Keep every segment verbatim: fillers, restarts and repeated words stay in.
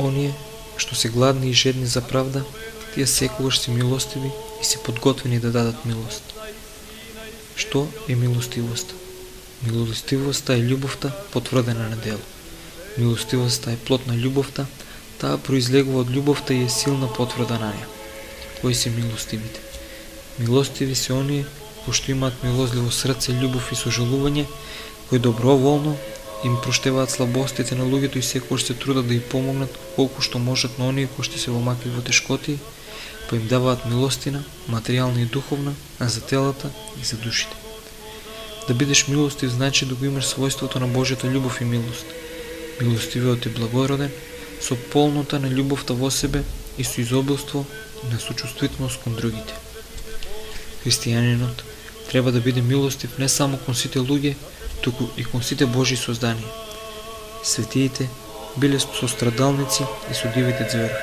Оние што се гладни и жедни за правда, тие секогаш се милостиви и се подготвени да дадат милост. Што е милостивоста? Милостивоста е љубовта потврдена на дело. Милостивоста е плод на љубовта, таа произлегува од љубовта и е силна потврда на неа. Кои се милостивите? Милостиви се оние кои што имаат милозливо срце, љубов и сожалување, кои доброволно им проштеваат слабостите на луѓето и секогаш се трудат да им помогнат колку што можат на оние кои што се во макли во тешкоти, па им даваат милостина, материјална и духовна, а за телата и за душите. Да бидеш милостив значи да го имаш својството на Божјата љубов и милост. Милостивиот е благороден, со полнота на љубовта во себе и со изобилство на сочувствителност кон другите. Христијанинот треба да биде милостив не само кон сите луѓе, туку и кон сите Божји создани. Светиите биле сострадалници и судивите ѕверови.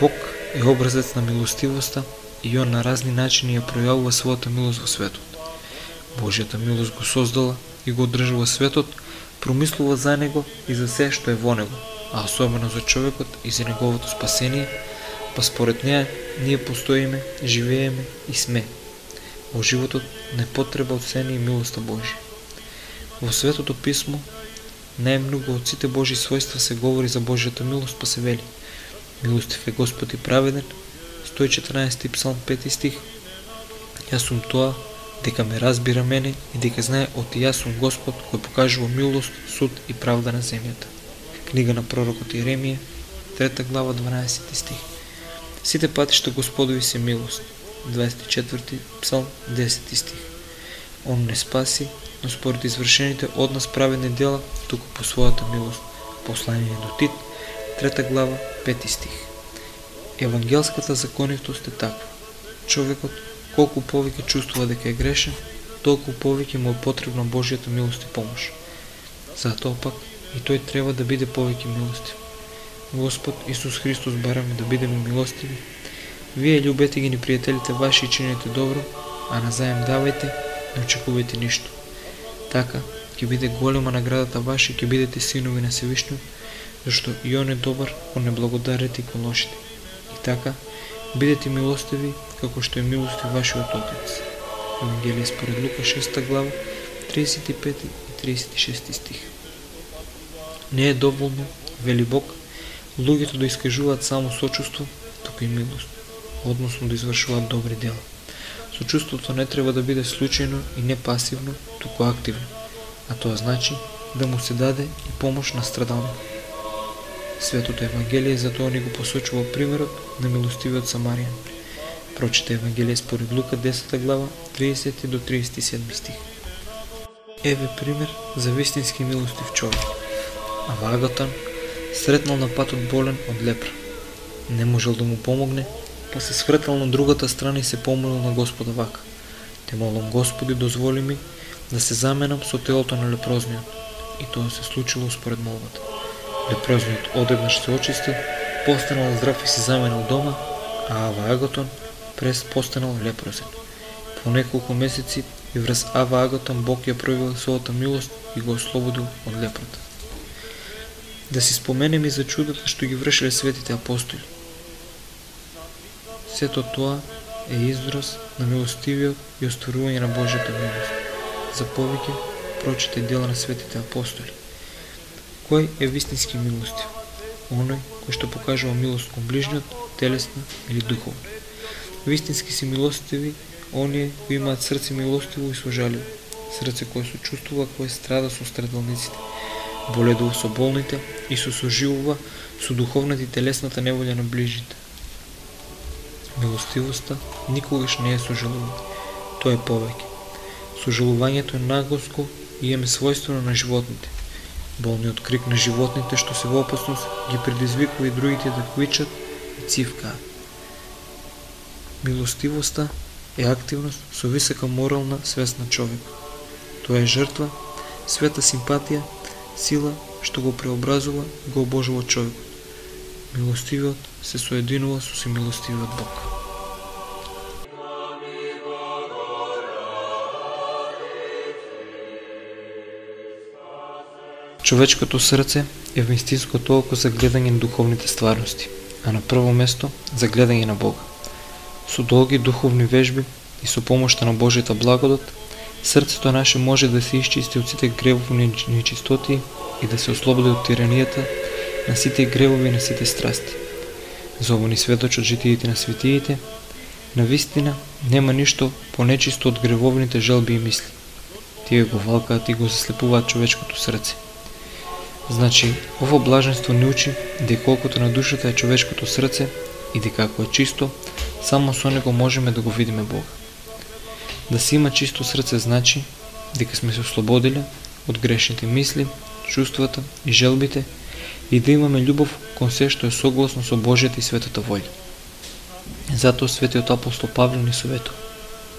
Бог е образец на милостивоста и он на разни начини ја пројавува својата милост во светот. Божјата милост го создала и го одржува светот, промислува за него и за се што е во него, а особено за човекот и за неговото спасение, па според неа ние постоиме, живееме и сме. Во животот не потреба од сени и милоста Божја. Во Светото писмо најмногу од сите Божји својства се говори за Божјата милост, па се вели: Милостив е Господ и праведен, сто и четрнаесети псалм, пети стих. Јас сум тоа, дека ме разбира мене и дека знае од јас сум Господ кој покажува милост, суд и правда на земјата. Книга на пророкот Иеремија, трета глава, дванаесети стих. Сите патишта Господови се милост. дваесет и четврти псалм, десети стих. Он не спаси, но според извршените од нас праведни дела, туку по својата милост. Послание до Тит, трета глава, пети стих. Евангелската законитост е таква. Човекот колку повеќе чувствува дека е грешен, толку повеќе му е потребна Божјата милост и помош. Затоа пак и тој треба да биде повеќе милостив. Господ Исус Христос бараме да бидеме милостиви. Вие љубете ги непријателите ваши и чинете добро, а назаем давајте, не очекувајте ништо. Така ќе биде голема наградата ваша и ќе бидете синови на Севишниот, зашто и он е добар кон неблагодарите и кон лошите. И така бидете милостиви како што е милостив вашиот Отец. Евангелие според Лука, шеста глава, тридесет и пети и тридесет и шести стих. Не е доволно, вели Бог, луѓето да искажуваат само сочувство, туку и милост, односно да извршуваат добри дела. Сочувството не треба да биде случајно и не пасивно, туку активно, а тоа значи да му се даде и помош на страдалник. Светото Евангелие затоа ни го посочува примерот на милостивиот Самаријан. Прочита Евангелие според Лука, десета глава, тридесети до тридесет и седми стих. Еве пример за вистински милостив човек. Ава Агатон сретнал на патот болен од лепра. Не можел да му помогне, па се свртал на другата страна и се помолил на Господа вака: Те молам, Господи, дозволи ми да се заменам со телото на лепрозниот. И тоа се случило според молбата. Лепрозниот одеднаш се очистил, постанал здрав и се заменал дома, а Ава Агатон прес постанал лепрозен. По неколку месеци и врз Ава Агатон Бог ја проявил својата милост и го ослободил од лепрота. Да си споменем и за чудата што ги вршиле светите апостоли. Сето тоа е израз на милостивиот и остварување на Божјата милост. За повеќе прочите дела на светите апостоли. Кој е вистински милостив? Оној кој што покажува милост кон ближниот, телесна или духовна. Вистински си милостиви оние кои имаат срце милостиво и сожаливо, срце кое сочувствува, кое страда со страдалниците, боледува со болните и се соживува со духовната и телесната неволја на ближните. Милостивоста никогаш не е сожалување, тоа е повеќе. Сожалувањето е нагласко и е својствено на животните. Болниот крик на животните што се во опасност ги предизвикува и другите да квичат и цивкаат. Милостивоста е активност со висока морална свест на човекот. Тоа е жртва, света симпатија, сила што го преобразува и го обожува човекот. Милостивиот се соединува со семилостивиот Бог. Човечкото срце е вистинското око за гледање на духовните стварности, а на прво место за гледање на Бога. Со долги духовни вежби и со помошта на Божјата благодат, срцето наше може да се исчисти од сите гревовни нечистоти и да се ослободи од тиранијата на сите гревови и на сите страсти. За ово ни сведочат житиите на светиите, на вистина нема ништо понечисто од гревовните желби и мисли. Тие го валкаат и го заслепуваат човечкото срце. Значи, ово блаженство ни учи дека колкото на душата е човечкото срце и дека ако е чисто, само со него можеме да го видиме Бога. Да се има чисто срце значи дека сме се ослободили од грешните мисли, чувствата и желбите и да имаме љубов кон се што е согласно со Божјата и светата волја. Затоа светиот апостол Павле ни советува: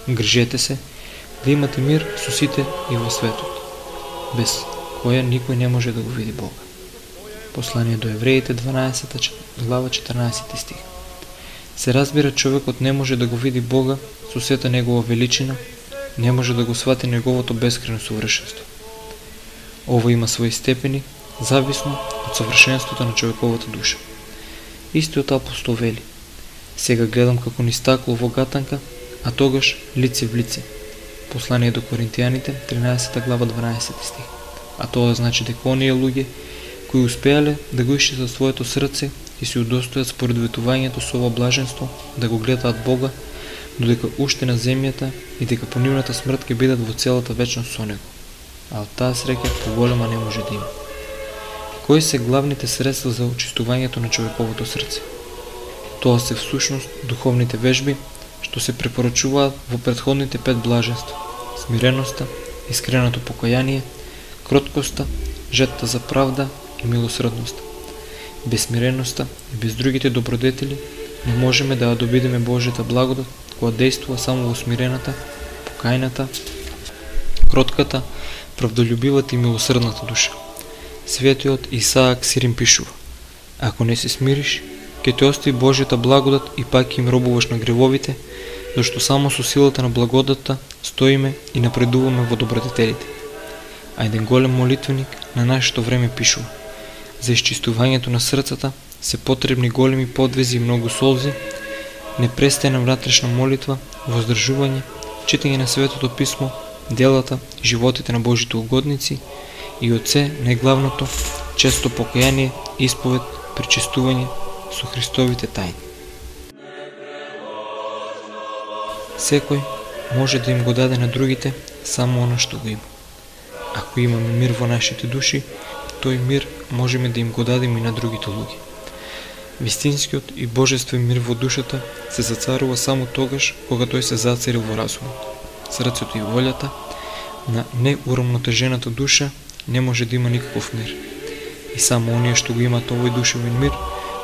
грижете се да имате мир со сите и во светот, без која никој не може да го види Бога. Послание до Евреите, дванаесета глава, четрнаесети стих. Се разбира, човекот не може да го види Бога со сета негова величина, не може да го свати неговото бескрено совршенство. Ово има своји степени, зависно од совршенството на човековата душа. Истиот апостол вели: сега гледам како низ стакло во гатанка, а тогаш лице в лице. Послание до Коринтијаните, тринаесета глава, дванаесети стих. А тоа значи дека оние луѓе кои успеале да го исчистат своето срце и се удостојат според ветувањето со ова блаженство да го гледаат Бога, додека уште на земјата и дека по нивната смрт ќе бидат во целата вечност со него. А од таа среќа поголема не може да има. Кои се главните средства за очистувањето на човековото срце? Тоа се всушност духовните вежби што се препорачуваат во претходните пет блаженства: смиреноста, искреното покаяние, кроткоста, жетта за правда и милосрдноста. Без смиреноста и без другите добродетели не можеме да ја добидеме Божјата благодат која действува само во смирената, покајната, кротката, правдолюбивата и милосрдната душа. Светиот Исаак Сирин пишува: ако не се смириш, ќе те остави Божјата благодат и пак им робуваш на гревовите, зашто само со силата на благодатта стоиме и напредуваме во добродетелите. А еден голем молитвеник на нашето време пишува: за исчистувањето на срцата се потребни големи подвизи и многу солзи, непрестајна внатрешна молитва, воздржување, читање на Светото писмо, делата и животите на Божите угодници и од се најглавното често покаяние, исповед, пречистување со Христовите тајни. Секој може да им го даде на другите само оно што го има. Ако имаме мир во нашите души, тој мир можеме да им го дадеме и на другите луѓе. Вистинскиот и божествен мир во душата се зацарува само тогаш кога тој се зацари во разумот. Срцето и волјата на неурамнотежената душа не може да има никаков мир. И само оние што го имаат овој душевен мир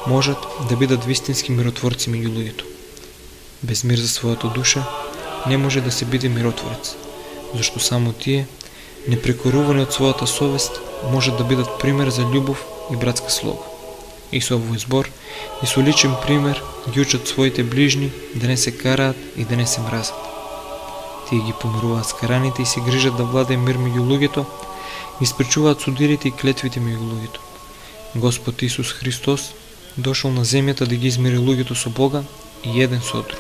можат да бидат вистински миротворци меѓу луѓето. Без мир за својата душа не може да се биде миротворец, зашто само тие, непрекорувани од својата совест, можат да бидат пример за љубов и братска слога. И со овој збор и со личен пример ги учат своите ближни да не се караат и да не се мразат. Тие ги помируваат скараните и се грижат да владее мир меѓу луѓето, и спречуваат судирите и клетвите меѓу луѓето. Господ Исус Христос дошол на земјата да ги измири луѓето со Бога и еден со друг.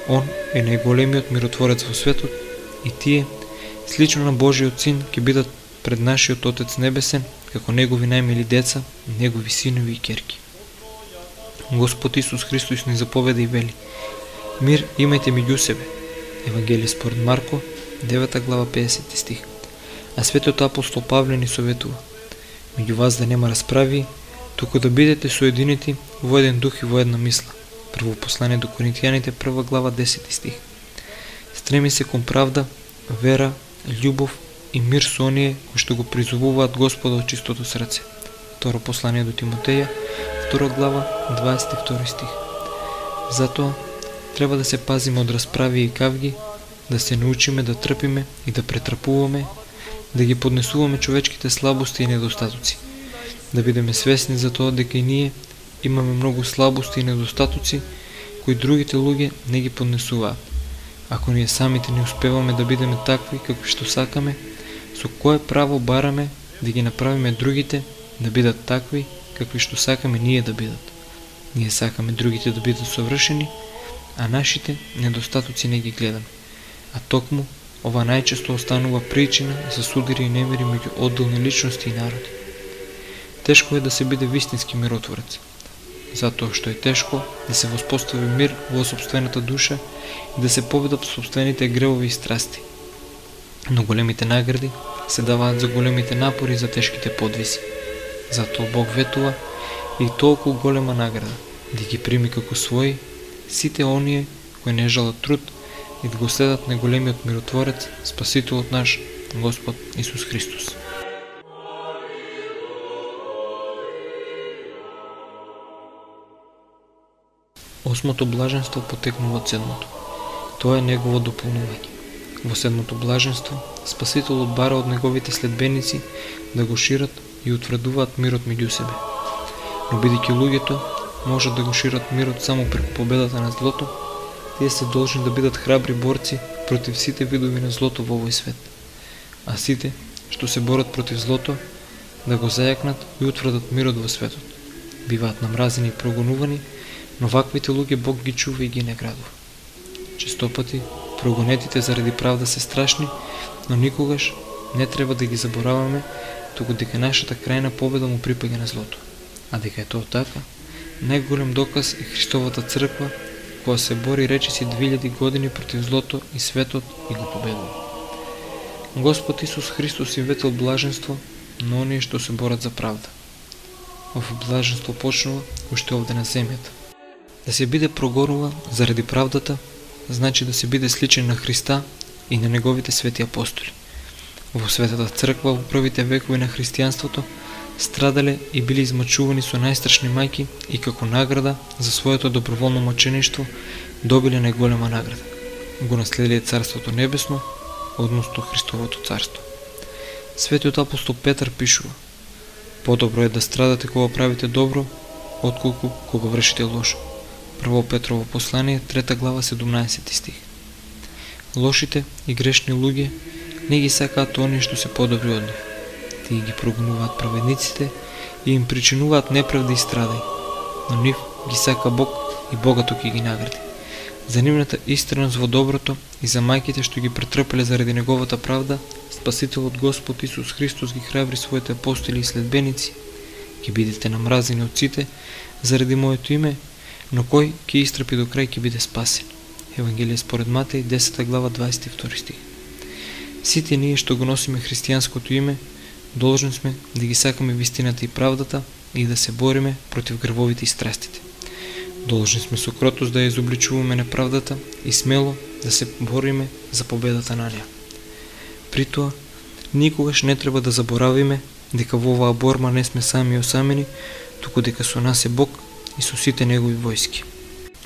Он е најголемиот миротворец во светот и тие, слично на Божиот Син, ќе бидат пред нашиот Отец Небесен како негови најмили деца, негови синови и ќерки. Господ Исус Христос ни заповеда и вели: мир имајте меѓу себе. Евангелие според Марко, девета глава, педесети стих. А светиот апостол Павле ни советува: меѓу вас да нема расправи, туку да бидете соединети во еден дух и во една мисла. Прво послание до Коринтијаните, прва глава, десети стих. Стреми се кон правда, вера, љубов и мир со оние кои што го призовуваат Господа од чистото срце. Второ послание до Тимотеја, втора глава, дваесет и втори стих. Затоа треба да се пазиме од расправи и кавги, да се научиме да трпиме и да претрпуваме, да ги поднесуваме човечките слабости и недостатоци, да бидеме свесни за тоа дека и ние имаме многу слабости и недостатоци кои другите луѓе не ги поднесуваат. Ако ние самите не успеваме да бидеме такви какви што сакаме, со кое право бараме да ги направиме другите да бидат такви, какви што сакаме ние да бидат. Ние сакаме другите да бидат совршени, а нашите недостатоци не ги гледаме. А токму, ова најчесто останува причина за судири и немири меѓу одделни личности и народи. Тешко е да се биде вистински миротворец, затоа што е тешко да се воспостави мир во сопствената душа и да се победат сопствените гревови и страсти. Но големите награди се даваат за големите напори за тешките подвизи. Затоа Бог ветува и толку голема награда да ги прими како своји сите оние кои не жалат труд и да го следат на големиот миротворец, Спасителот наш, Господ Исус Христос. Осмото блаженство потекнува од седмото. Тоа е негово дополнување. Во седмото блаженство, Спасителот бара од неговите следбеници да го шират и утврдуваат мирот меѓу себе. Но бидејќи луѓето можат да го шират мирот само преку победата на злото, тие се должни да бидат храбри борци против сите видови на злото во овој свет. А сите што се борат против злото, да го зајакнат и утврдат мирот во светот. Биваат намразени и прогонувани, но ваквите луѓе Бог ги чува и ги наградува. Честопати прогонетите заради правда се страшни, но никогаш не треба да ги забораваме, туку дека нашата крајна победа му припаѓа на злото. А дека е тоа така, најголем доказ е Христовата црква, која се бори речиси две илјади години против злото и светот и го победува. Господ Исус Христос им ветил блаженство на оние што се борат за правда. Ово блаженство почнува уште овде на земјата. Да се биде прогонува заради правдата, значи да се биде сличен на Христа и на неговите свети апостоли. Во Светата црква во првите векови на христијанството страдале и били измачувани со најстрашни мајки и како награда за своето доброволно мачеништво добиле најголема награда. Го наследиле Царството Небесно, односно Христовото царство. Светиот апостол Петар пишува: подобро е да страдате кога правите добро, отколку кога вршите лошо. Прво Петрово послание, трета глава, седумнаесети стих. Лошите и грешни луѓе не ги сакаат оние што се подобри од нив. Тие ги прогонуваат праведниците и им причинуваат неправда и страдај, но нив ги сака Бог и богато ќе ги награди. За нивната истреност во доброто и за мајките што ги претрпеле заради неговата правда, Спасителот Господ Исус Христос ги храбри своите апостоли и следбеници: ќе бидете намразени од сите заради моето име, но кој ќе истрпи до крај ќе биде спасен. Евангелие според Матеј, десета глава, дваесет и втори стих. Сите ние што го носиме христијанското име, должни сме да ги сакаме вистината и правдата и да се бориме против гревовите и страстите. Должни сме со кротост да ја изобличуваме неправдата и смело да се бориме за победата на неа. При тоа, никогаш не треба да заборавиме дека во оваа борба не сме сами осамени, туку дека со нас е Бог и со сите негови војски.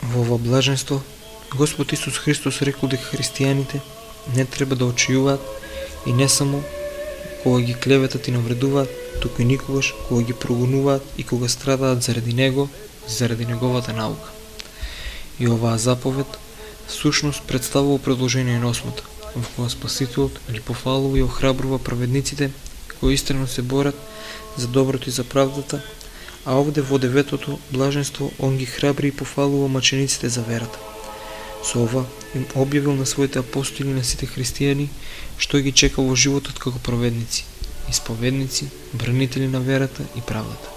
Во ова блаженство, Господ Исус Христос рекол дека христијаните не треба да очијуваат и не само кога ги клеветат и навредуваат, туку и никогаш кога ги прогонуваат и кога страдаат заради Него, заради Неговата наука. И оваа заповед всушност представува продолжение на осмата, во која Спасителот ги пофалува и охрабрува праведниците кои истрено се борат за доброто и за правдата, а овде во деветото блаженство он ги храбри и пофалува мачениците за верата. Со ова им објавил на своите апостоли на сите христијани што ги чека во животот како праведници, исповедници, бранители на верата и правдата.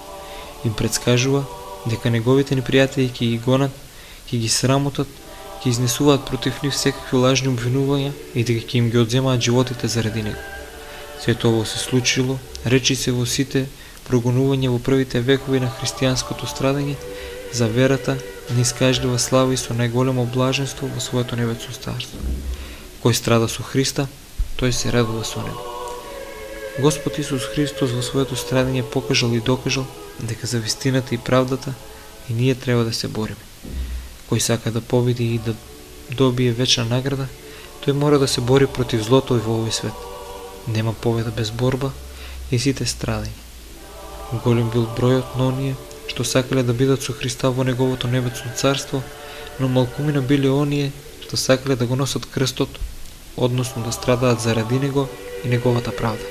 Им предскажува дека неговите непријатели ќе ги гонат, ќе ги срамотат, ќе изнесуваат против нив секакви лажни обвинувања и дека ќе им ги одземаат животите заради него. Сето ово се случило, речи се во сите прогонување во првите векови на христијанското страдање за верата не искажлива слава и со најголемо блаженство во своето небесно царство. Кој страда со Христа, тој се радува со него. Господ Исус Христос во своето страдање покажал и докажал дека за вистината и правдата и ние треба да се бориме. Кој сака да победи и да добие вечна награда, тој мора да се бори против злото и во овој свет. Нема победа без борба и сите страдања. Голем бил бројот на оние што сакале да бидат со Христа во неговото небесно царство, но малкумина биле оние што сакале да го носат крстот, односно да страдаат заради него и неговата правда.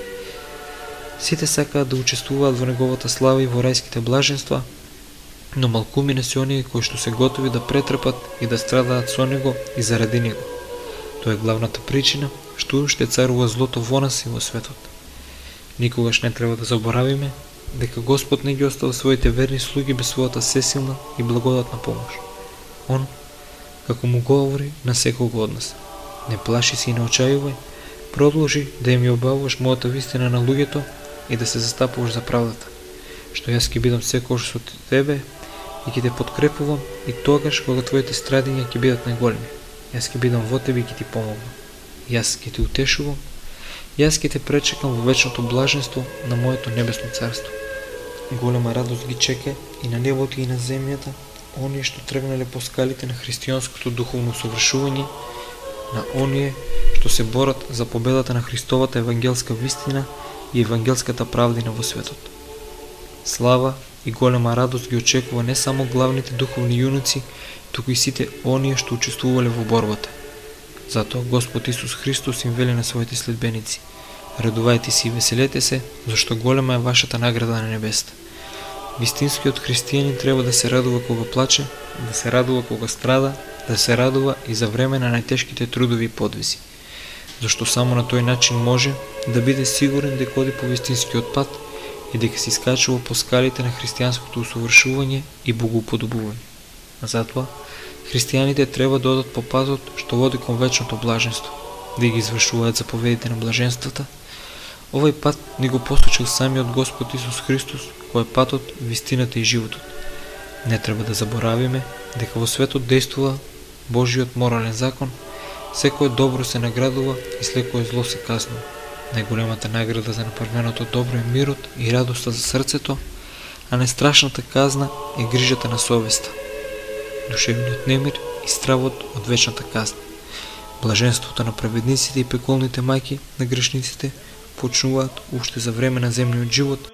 Сите сакаат да учествуваат во неговата слава и во рајските блаженства, но малкумина се оние кои што се готови да претрпат и да страдаат со него и заради него. Тоа е главната причина што уште царува злото во нас и во светот. Никогаш не треба да заборавиме дека Господ не ги оставил своите верни слуги без својата сесилна и благодатна помош. Он, како му говори на секого од нас: не плаши се и не очајувај, продолжи да им ја објавуваш мојата вистина на луѓето и да се застапуваш за правдата, што јас ќе бидам секогаш со тебе и ќе те подкрепувам и тогаш кога твоите страдења ќе бидат најголеми. Јас ќе бидам во тебе и ќе ти помогнам. Јас ќе те утешувам, јас ќе те пречекам во вечното блаженство на моето небесно царство. Голема радост ги чека и на небото и на земјата оние што тргнале по скалите на христијанското духовно совршување, на оние што се борат за победата на Христовата евангелска вистина и евангелската правдина во светот. Слава и голема радост ги очекува не само главните духовни јуноци, туку и сите оние што учествувале во борбата. Затоа Господ Исус Христос им вели на своите следбеници: радувајте се и веселете се, зашто голема е вашата награда на небесата. Вистинскиот христијанин треба да се радува кога плаче, да се радува кога страда, да се радува и за време на најтешките трудови и подвизи, зашто само на тој начин може да биде сигурен дека оди по вистинскиот пат и дека се искачува по скалите на христијанското усовршување и богоуподобување. Затоа, христијаните треба да одат по патот што води кон вечното блаженство, да ги извршуваат заповедите на блаженствата. Овој пат ни го посочил самиот Господ Исус Христос, кој е патот, вистината и животот. Не треба да заборавиме дека во светот действува Божиот морален закон, секое добро се наградува и секое зло се казнува. Најголемата награда за направеното добро е мирот и радоста за срцето, а најстрашната казна е грижата на совеста, душевниот немир и стравот од вечната казна. Блаженството на праведниците и пеколните мајки на грешниците почнуваат уште за време на земниот живот,